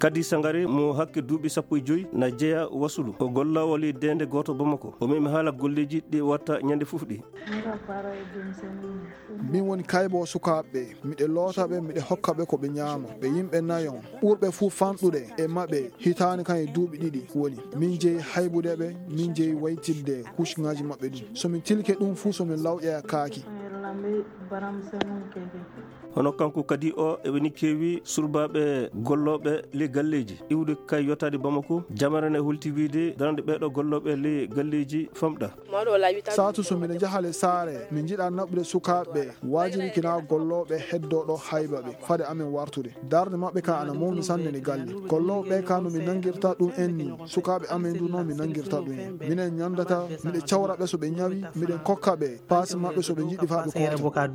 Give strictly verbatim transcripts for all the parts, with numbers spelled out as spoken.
Kadi Sangare mo hakke duuɓi sappo e joy na jeya Wasulu. O golla wali deende gooto Bamako. O memi haala golleeji ɗi watta ñande fof ɗi. Min woni kaybo sukaaɓe ɓe. Miɗe loota ɓe, miɗe hokka ɓe ko ɓe ñaama. Ɓe yimɓe nayon. Ɓurɓe fuu fanɗude e maɓɓe hitaande kan e duuɓi ɗiɗi woni. Min jeyi haybude ɓe, min jeyi waytidde kuucŋaaji maɓɓe ɗin. So min tilke ɗum fuu, so min lawƴa kaaki. Hono kanko kadi o eɓeni keewi surbaaɓe gollooɓe ley galleeji iwde kay yottaade Bamako. Jamara ne hulti wiide darande ɓeeɗo gollooɓe ley galleeji famɗa. Saatu so miɗo jaha le saare, mi jiɗa naɓude sukaaɓe ɓe. Waajiri kina gollooɓe heddoo ɗo hayba ɓe fade amen wartude. Darde maɓɓe ka ana mawni sanne ne galle. Gollooɓe ɓe ka no mi nangirta ɗum en ni, sukaaɓe amen du no mi nangirta ɗum en. Minen ñandata, miɗe cawra ɓe so ɓe ñawi, miɗen kokka ɓe paasi maɓɓe so ɓe jiɗi faa ɓe koota.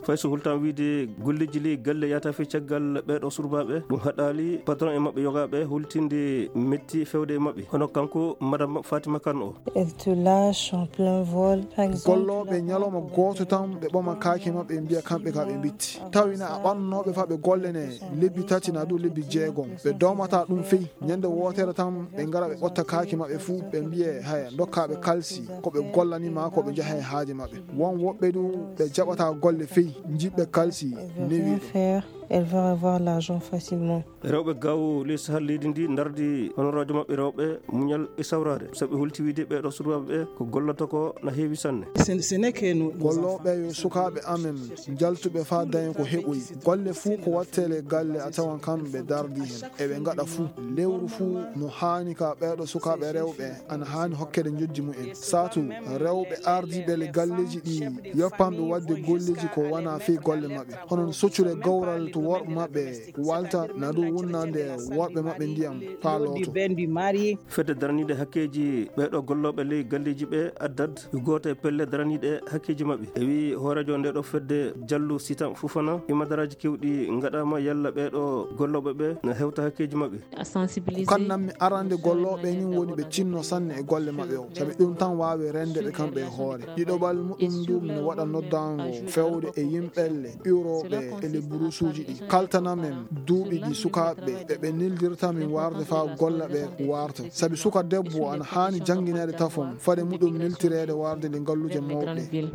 Fay so hultan wiide golleeji ley galle yata fii caggal ɓeeɗo surbaaɓe, ɗum haɗaali patron e maɓɓe yogaaɓe hultinde metti fewde e maɓɓe. Hono kanko madame Fatima Kan o. Elle te lâche en plein vol, par exemple. Gollooɓe ñalawma gooto tan ɓe ɓoma kaake maɓɓe ɓe mbiya kamɓe ka ɓe mbitti. Tawina a ɓannooɓe faa ɓe golle ne lebbi tati na du lebbi jeegom. Ɓe doomata ɗum fey. Ñande wootere tan ɓe ngara ɓe ɓotta kaake maɓɓe fuu ɓe mbiye haya ndokka ɓe kalsi ko ɓe gollani ma ko ɓe njaha e haaje maɓɓe. Won woɓɓe du ɓe jaɓata golle fey, njiɗɓe kalsi newiiɗo. Elle va avoir l'argent facilement. Rewɓe gaw ley sahal leydi ndi ndardi honoraajo maɓɓe rewɓe muñal e sawraade. Sabu ɓe hulti wiide ɓeeɗo surbaaɓe ɓe ko gollata ko na heewi sanne. Gollooɓe yo sukaaɓe amen njaltuɓe faa daña ko heɓoyi. Golle fuu ko wattee le galle a tawan kamɓe dardi hen. Eɓe ngaɗa fuu. Lewru fuu no haani ka ɓeeɗo sukaaɓe rewɓe ana haani hokkede njojji mumen. Saatu rewɓe ardiiɓe le galleeji ɗi yoppanɓe waɗde golleeji ko wana fii golle maɓɓe. Hono no soccure gawral to worɓe maɓɓe walta na du wunnande worɓe maɓɓe ndiyam faa looto. Fedde daraniiɗe hakkeeji ɓeeɗo gollooɓe ley galleeji ɓe addad yo gooto e pelle daraniiɗe hakkeeji maɓɓe. E wii hooreejo nde ɗo fedde Jallu Sitan Fufana, imadaraaji kewɗi ngaɗaama yalla ɓeeɗo gollooɓe ɓe na hewta hakkeeji maɓɓe. Ko kannammi arande gollooɓe nin woni ɓe cinno sanne e golle maɓɓe o. Sabi ɗum tan waawi rende ɓe kamɓe e hoore. Ɗiɗoɓal muɗum ndu no waɗa noddaango fewde e yimɓelle iwrooɓe e le burusuuji ɗi. Kaltanamen duuɓi ɗi sukaaɓe ɓe ɓe nildirta min warde faa golla ɓe warta. Sabi suka debbo ana haani janngineede tafon fade muɗum niltireede warde le ngalluuje mawɗe.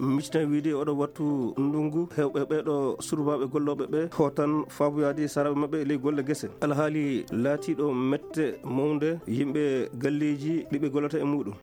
Micna wiide oɗo wattu ndungu hewɓe ɓeeɗo surbaaɓe gollooɓe ɓe hootan faabuyaade saraaɓe maɓɓe ley golle gese. Alhaali laatiiɗo mette mawnde yimɓe galleeji ɗi ɓe gollata e muɗum.